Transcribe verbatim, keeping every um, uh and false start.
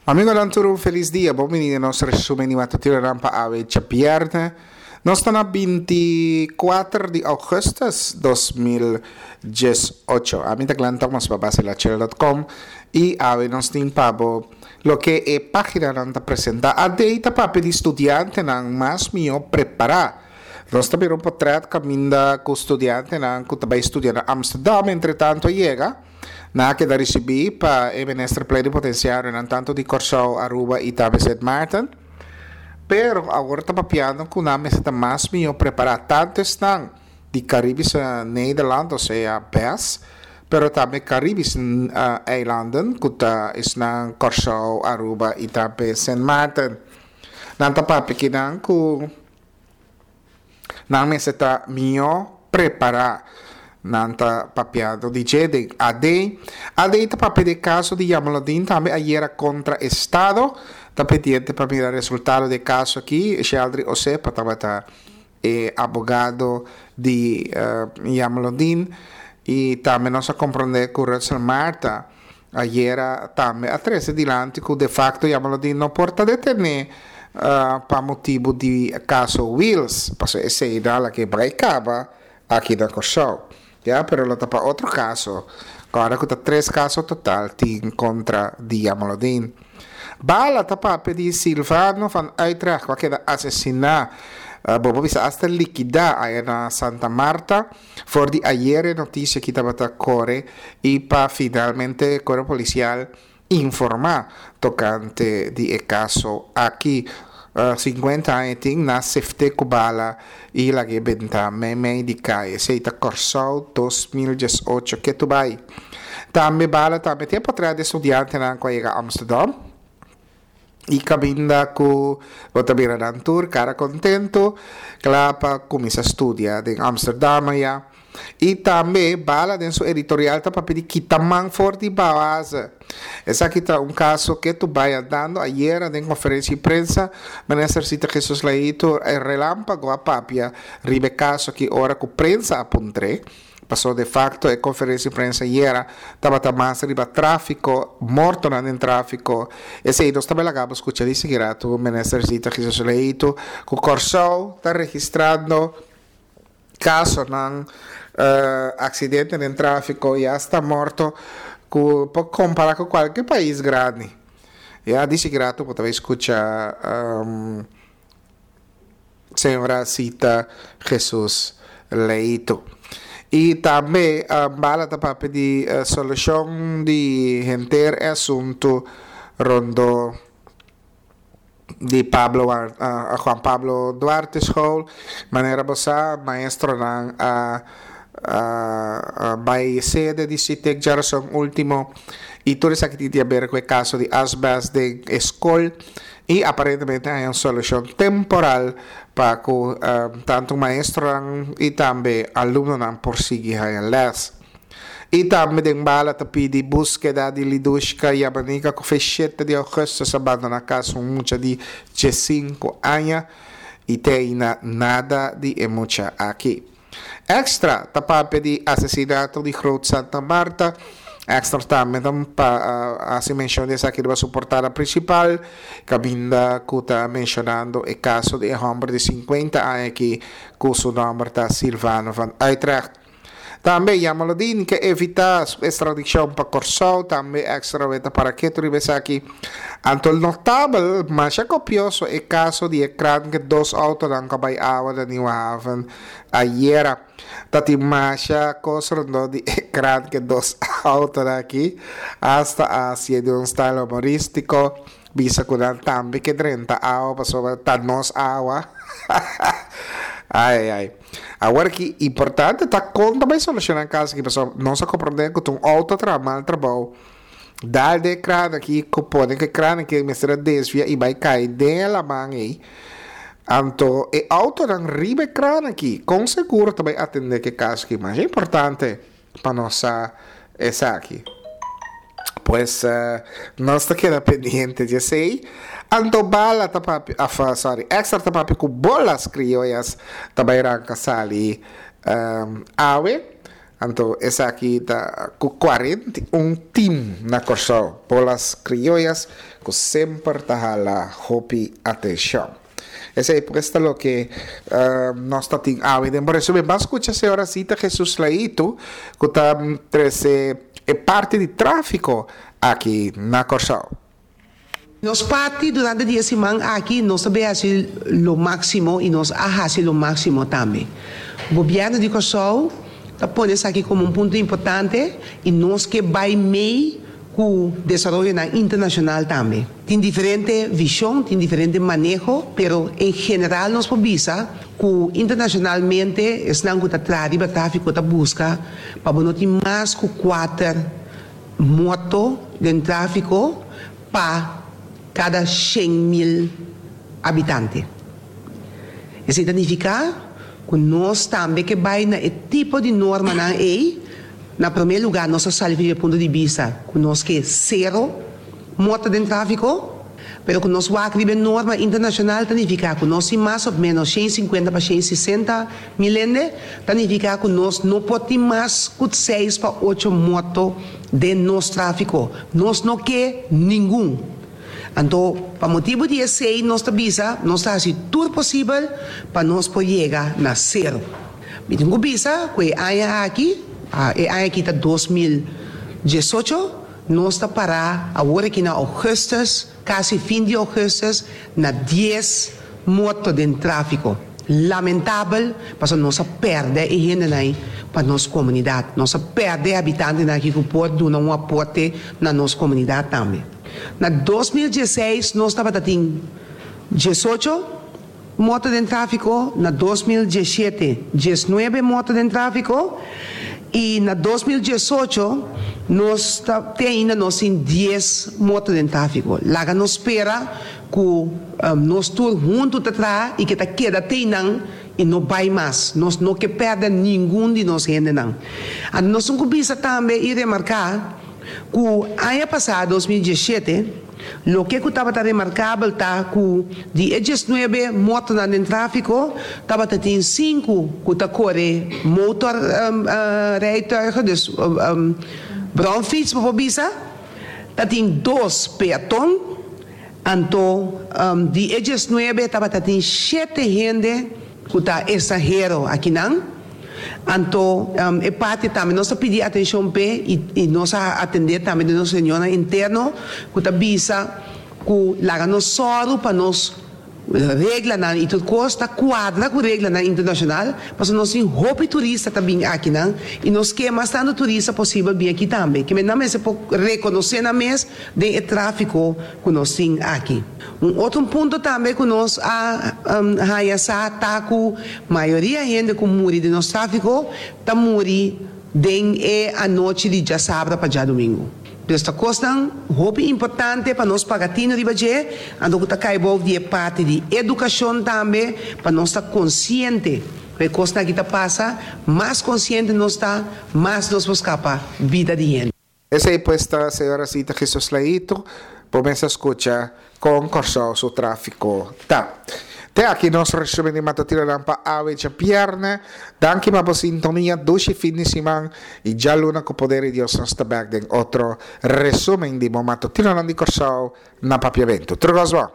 Amigonan tur un felis dia, bon bini den nos resumen di matutinonan pa awe djabièrnè. Nos ta na binti kuater di ougùstùs dos mil dies ocho. Ami ta Glenn Thomas pa Basilachel dot com i awe nos tin pa bo loke e paginanan ta presentá. A D ta papia di studiantenan mas mihó prepará. Nos ta mira un potrèt kaminda ku studiantenan ku ta bai studia na Amsterdam entretanto a yega. Nan a keda risibí pa e minister plenipotenciarionan tantu di Kòrsou, Aruba i tambe Sint Maarten. Pero awor ta papiando ku nan mester ta mas mihó prepará, tantu esnan di Karibische Nederland, osea bes, pero tambe Karibische Eilanden, ku ta esnan Kòrsou, Aruba i tambe Sint Maarten. Nan ta papia kinan ku nan mester ta mihó prepará. Nan ta papiando di dje den A D. A D ta papia di e kaso di Jamaloodin tambe ayera kontra Estado. Ta pendiente pa mira resultado di e kaso aki. Sheldry Osepa tabata e abogado di Jamaloodin. I tambe nos a komprondé ku Rutsel Martha ayera tambe a trese dilanti ku de facto Jamaloodin no por ta detené pa motibu di kaso Wiels. Pasobra esei nan a laga bai kaba aki na Kòrsou. Ya, pero lo ta pa otro kaso. Kòrda ku ta tres kaso total tin kontra di Jamaloodin. Bala ta papia di Silvano van Uytrecht ku a keda asesiná, bo por bisa asta likidá aya na Santa Marta. For di ayer e notisia aki tabata kore i pa finalmente Kuerpo Polisial informá tokante di e kaso aki. Sinkuenta aña tin na sefte ku bala i lag'é benta meimei di kai. Esei ta Kòrsou dos mil dies ocho ketu bai. Tambe bala tambe tin e potrèt di studiantenan ku a yega Amsterdam i kaminda ku bo ta mira nan tur kara kontentu kla pa kuminsá studia den Amsterdam aya. I tambe Bala den su editorial ta papia di kita man for di Bawaze. Esaki ta un kaso ke tu bai andando ayera den konferensia di prensa, Minister Sita Jesus Leito e relampago a papia riba e kaso aki ora ku prensa a puntr'é, paso de facto e konferensia di prensa ayera tabata mas riba trafiko, mortonan den trafiko. Esei nos ta bai laga bo skucha di sigui ratu Minister Sita Jesus Leito ku Kòrsou ta registrando kasonan, aksidente den tráfiko i asta morto ku por kompará ku kualke pais grandi. Ya di sigrato bo ta bai skucha señora Sita Jesus Leito. I tambe Bala ta papia di solushon di henter e asuntu rondó di Pablo Juan Pablo Duarte School. Manera bo sa, maestronan a bai sede di Sitek djarason ultimo i tur esaki tin di haber ku e kaso di asbest den e skol i aparentemente haña un solushon temporal pa ku tantu maestronan i tambe alumnonan por sigui haña lès. I tambe den bala ta pidi búskeda di Lidushka Yamanika ku fe shete di ougùstùs a bandoná kas un mucha di diesinku aña i te ainda nada di e mucha aki. Extra ta papia di asesinato di Groot Santa Marta. Extra tambe ta hasi menshon di esaki riba su portada prinsipal kaminda ku ta menshonando e kaso di e hòmber di sinkuenta aña aki ku su nòmber ta Silvano van Uytrecht. Tambe Jamaloodin ke evitá su ekstradikshon pa Kòrsou, tambe Extra weta para ketu riba esaki. Anto notabel, masha kopioso e kaso di e kran ke dos outonan ku a bai awa na Nieuwe Haven ayera. Ta tin masha kos rondó di e kran ke dos outonan aki, asta a hasié di un style humorístiko. Bisa ku nan tambe ke drenta awa pasobra ta nos awa. Ai ai ai. Awor ki importante ta kon ta bai solushoná e kaso aki pasobra nos a komprondé ku ta un outo a traha mal trabou. Dal den e kran aki ku pone ku e kran aki mester a desvia i bai kai den e laman ei. Anto e outonan riba e kran aki kon seguro ta bai atendé ku e kaso aki? Masha importante pa nos sa esaki. Pues nos ta keda pendiente di esey. Anto bala ta papia, af sorry, Extra ta papia ku bolas crioyas ta bai ranka sali awe. Anto esaki ta ku kuarenta i un tim na Kòrsou, Bolas Criollas, ku semper ta hala hopi atenshon. Esei pues ta loke nos ta tin awe den bo resumen. Ban skucha señora Zita Jesus Laitu ku ta trese e parti di tráfiko aki na Kòrsou. Nos parti durante di e siman aki nos ta bay haci lo maximo y nos a haci lo maximo tambe. Gobierno di Corsou ta pone esaki como un punto importante y nos ke bay mey cu desaroyonan internacional tambe. Tin diferente vision, tin diferente maneho, pero en general nos por bisa cu internacionalmente esnan cu ta traha riba trafico ta busca pa bo no tin mas cu kuater morto den trafico pa kada shen mil habitante. Esei ta nifiká ku nos tambe ke bai na e tipo di normanan ei. Na promé lugá nos a sali for di e punto di bista ku nos ke sero morto den tráfiko, pero ku nos wak riba e norma internashonal ta nifiká ku nos tin mas òf ménos shen sinkuenta pa shen sesenta mil hende, ta nifiká ku nos no por tin mas ku seis pa ocho morto den nos tráfiko. Nos no ke ningun. Anto, pa motibu di esei nos ta bisa, nos ta hasi tur posibel pa nos por yega na sero. Mi tin ku bisa ku e aña aki, e aña aki ta dos mil diesocho, nos ta pará awor aki na ougùstùs, kasi fin di ougùstùs, na dies morto den tráfiko. Lamentabel, pasobra nos a pèrdè e hendenan ei pa nos komunidat. Nos a pèrdè e habitantenan aki ku por duna un aporte na nos komunidat tambe. Na dos mil dieseis nos tabata tin diesocho morto den tráfiko, na dos mil diesshete diesnuebe morto den tráfiko i na dos mil diesocho nos ta te ainda nos tin dies morto den tráfiko. Laga nos spera ku nos tur huntu ta traha i ke ta keda te einan i no bai mas. Nos no ke pèrdè ningun di nos hendenan. Anto nos tin ku bisa tambe i remarká ku aña pasá, dos mil diesshete, loke ku tabata remarkabel ta ku di e diesnuebe mortonan den tráfiko tabata tin sinku ku ta kore motor rijtuigen, dus bromfiets bo por bisa, ta tin dos peaton, anto di e diesnuebe tabata tin shete hende ku ta estranhero akinan. Anto e parti tambe nos ta pidi atencion p'e y nos a atende tambe den nos reunionnan interno cu ta bisa cu laga nos sòru pa nos reglanan y tur cos ta cuadra cu reglanan internacional pasobra nos tin hopi turista ta bin akinan y nos ke mas tanto turista posibel bin aki tambe. Kimen nan mester por reconoce nan mes den e trafico cu nos tin aki. Un otro punto tambe cu nos a haya sa ta cu mayoria hende cu muri den nos trafico ta muri den e anochi di djasabra pa djadumingu. Dus ta cosnan hopi importante pa nos paga tino riba dje, anto cu ta cay boven di e parti di educacion tambe pa nos ta consciente cu e cosnan aki ta pasa, mas consciente nos ta, mas nos por scapa bida di hende. Esei pues ta señora Zita Jesus Leito. Bo mes a skucha kon Kòrsou su tráfiko ta. Te aki nos resumen di matutinonan pa awe djabièrnè. Danki pa bo sintonia. Dushi fin di siman i djaluna ku poder di Dios nos ta bèk den otro resumen di bo matutinonan di Kòrsou na Papiamentu. Tur kos bon.